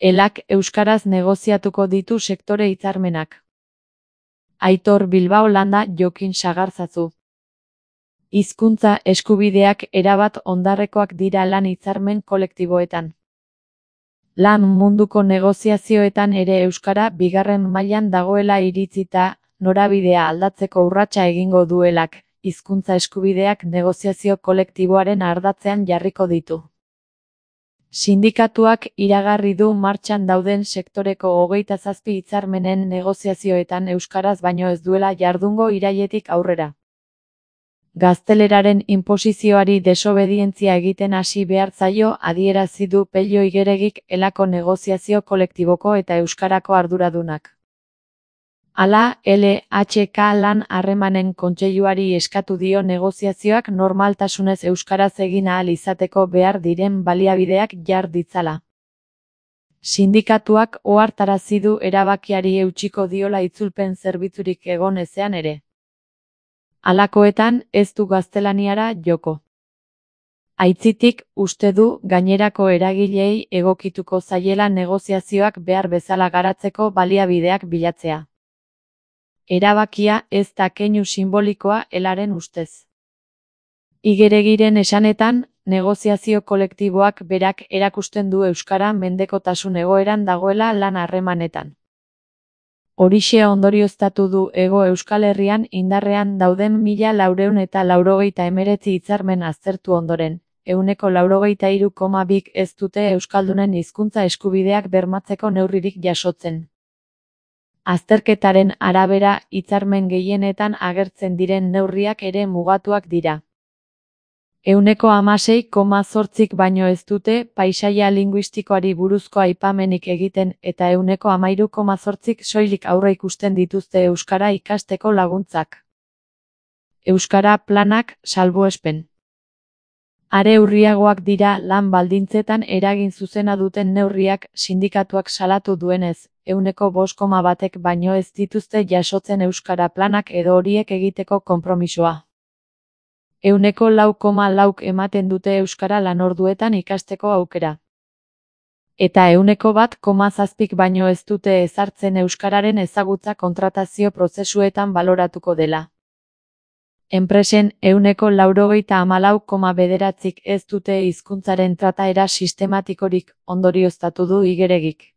Elak euskaraz negoziatuko ditu sektore hitzarmenak. Aitor Bilbao Landa Jokin Sagarzazu. Hizkuntza eskubideak erabat ondarrekoak dira lan hitzarmen kolektiboetan. Lan munduko negoziazioetan ere euskara bigarren mailan dagoela iritzita, norabidea aldatzeko urratsa egingo duelak, hizkuntza eskubideak negoziazio kolektiboaren ardatzean jarriko ditu. Sindikatuak iragarri du martxan dauden sektoreko 27 hitzarmenen negoziazioetan euskaraz baino ez duela jardungo irailetik aurrera. Gazteleraren inposizioari desobedientzia egiten hasi behar zaio adierazi du Pello Igeregik Elako negoziazio kolektiboko eta euskarako arduradunak. Hala, LHK lan harremanen kontseiluari eskatu dio negoziazioak normaltasunez euskaraz egin ahal izateko behar diren baliabideak jar ditzala. Sindikatuak ohartarazi du erabakiari eutsiko diola itzulpen zerbitzurik egon ezean ere. Halakoetan ez du gaztelaniara joko. Aitzitik, uste du gainerako eragileei egokituko zaiela negoziazioak behar bezala garatzeko baliabideak bilatzea. Erabakia ez da keinu sinbolikoa Elaren ustez. Igeregiren esanetan, negoziazio kolektiboak berak erakusten du euskara mendekotasun egoeran dagoela lan harremanetan. Horixe ondorioztatu du Hego Euskal Herrian indarrean dauden 1489 hitzarmen aztertu ondoren, 93,2 ez dute euskaldunen hizkuntza eskubideak bermatzeko neurririk jasotzen. Azterketaren arabera, hitzarmen gehienetan agertzen diren neurriak ere mugatuak dira. 16,8 baino ez dute paisaia linguistikoari buruzko aipamenik egiten eta 13,8 soilik aurreikusten dituzte euskara ikasteko laguntzak. Euskara planak salbuespen. Are urriagoak dira lan baldintzetan eragin zuzena duten neurriak sindikatuak salatu duenez, 5,1 baino ez dituzte jasotzen euskara planak edo horiek egiteko konpromisoa. 4,4 ematen dute euskara lanorduetan ikasteko aukera. Eta 1,7 baino ez dute ezartzen euskararen ezagutza kontratazio prozesuetan baloratuko dela. Enpresen 94,9 ez dute hizkuntzaren trataera sistematikorik onorioztatu du Igeregik.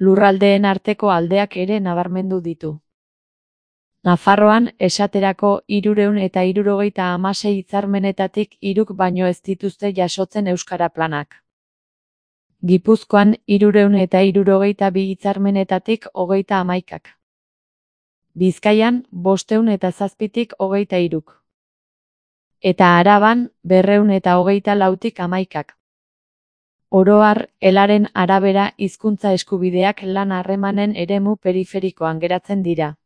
Lurraldeen arteko aldeak ere nabarmendu ditu. Nafarroan, esaterako 376 hitzarmenetatik 3 baino ez dituzte jasotzen euskara planak. Gipuzkoan 372 hitzarmenetatik 31. Bizkaian, 507tik 23. Eta Araban, 224tik 11. Oro har, Elaren arabera hizkuntza eskubideak lan harremanen eremu periferikoan geratzen dira.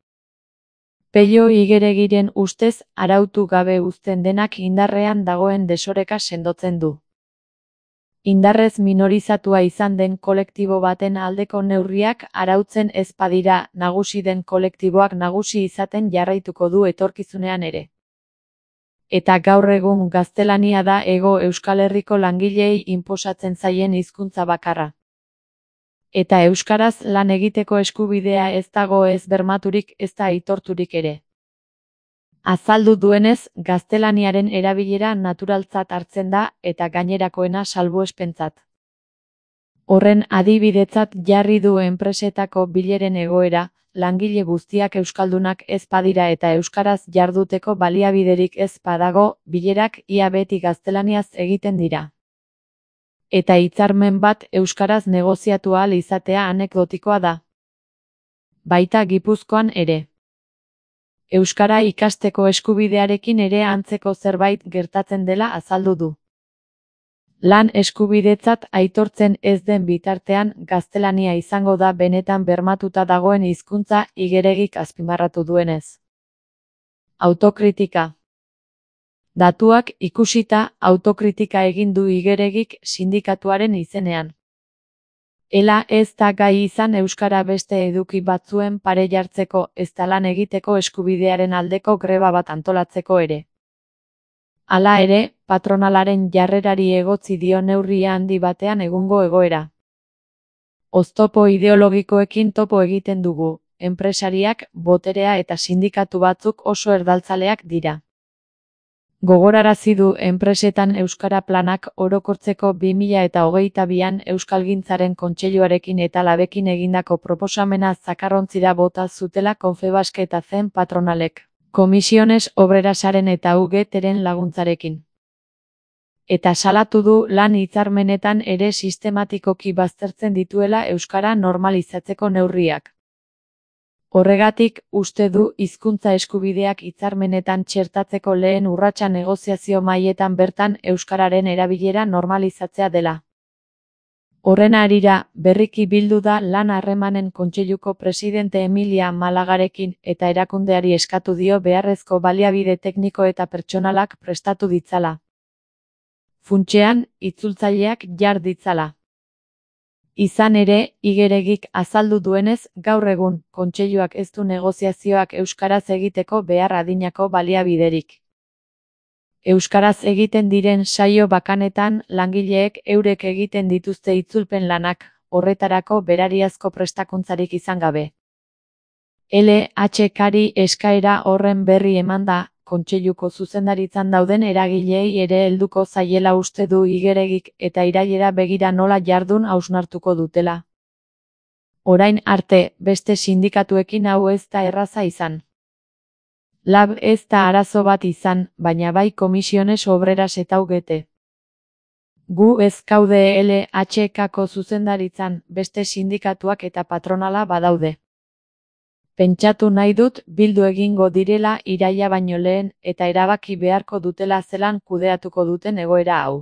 Pello Igeregiren ustez, arautu gabe uzten denak indarrean dagoen desoreka sendotzen du. Indarrez minorizatua izan den kolektibo baten aldeko neurriak arautzen ez badira nagusi den kolektiboak nagusi izaten jarraituko du etorkizunean ere. Eta gaur egun gaztelania da Hego Euskal Herriko langileei inposatzen zaien hizkuntza bakarra. Eta euskaraz lan egiteko eskubidea ez dago ez bermaturik ez da aitorturik ere. Azaldu duenez, gaztelaniaren erabilera naturaltzat hartzen da eta gainerakoena salbuespentzat. Horren adibidetzat jarri du enpresetako bileren egoera, langile guztiak euskaldunak ez badira eta euskaraz jarduteko baliabiderik ez badago, bilerak ia beti gaztelaniaz egiten dira. Eta hitzarmen bat euskaraz negoziatu ahal izatea anekdotikoa da. Baita Gipuzkoan ere. Euskara ikasteko eskubidearekin ere antzeko zerbait gertatzen dela azaldu du. Lan eskubidetzat aitortzen ez den bitartean gaztelania izango da benetan bermatuta dagoen hizkuntza Igeregik azpimarratu duenez. Autokritika. Datuak ikusita autokritika egin du Igeregik sindikatuaren izenean. Ela ez da gai izan euskara beste eduki batzuen pare jartzeko ezta lan egiteko eskubidearen aldeko greba bat antolatzeko ere. Hala ere, patronalaren jarrerari egotzi dio neurri handi batean egungo egoera. Oztopo ideologikoekin topo egiten dugu, enpresariak, boterea eta sindikatu batzuk oso erdaltzaleak dira. Gogorarazi du enpresetan euskara planak orokortzeko 2022an Euskalgintzaren Kontseiluarekin eta Labekin egindako proposamena zakarrontzira bota zutela Confebask eta zen patronalek, Comisiones Obrerasaren eta UGTren laguntzarekin. Eta salatu du lan hitzarmenetan ere sistematikoki baztertzen dituela euskara normalizatzeko neurriak. Horregatik, uste du hizkuntza eskubideak hitzarmenetan txertatzeko lehen urratsa negoziazio mailetan bertan euskararen erabilera normalizatzea dela. Horren harira, berriki bildu da Lan Harremanen Kontseiluko presidente Emilia Malagarekin eta erakundeari eskatu dio beharrezko baliabide tekniko eta pertsonalak prestatu ditzala. Funtsean, itzultzaileak jar ditzala. Izan ere, Igeregik azaldu duenez, gaur egun, kontseiluak ez du negoziazioak euskaraz egiteko behar adinako baliabiderik. Euskaraz egiten diren saio bakanetan, langileek eurek egiten dituzte itzulpen lanak, horretarako berariazko prestakuntzarik izan gabe. LHKri eskaera horren berri emanda, kontseiluko zuzendaritzan dauden eragileei ere helduko zaiela uste du Igeregik eta irailera begira nola jardun hausnartuko dutela. Orain arte, beste sindikatuekin hau ez da erraza izan. Lab ez da arazo bat izan, baina bai Comisiones Obreras eta UGT. Gu ez gaude LHKko zuzendaritzan, beste sindikatuak eta patronala badaude. Pentsatu nahi dut bildu egingo direla iraila baino lehen eta erabaki beharko dutela zelan kudeatuko duten egoera hau.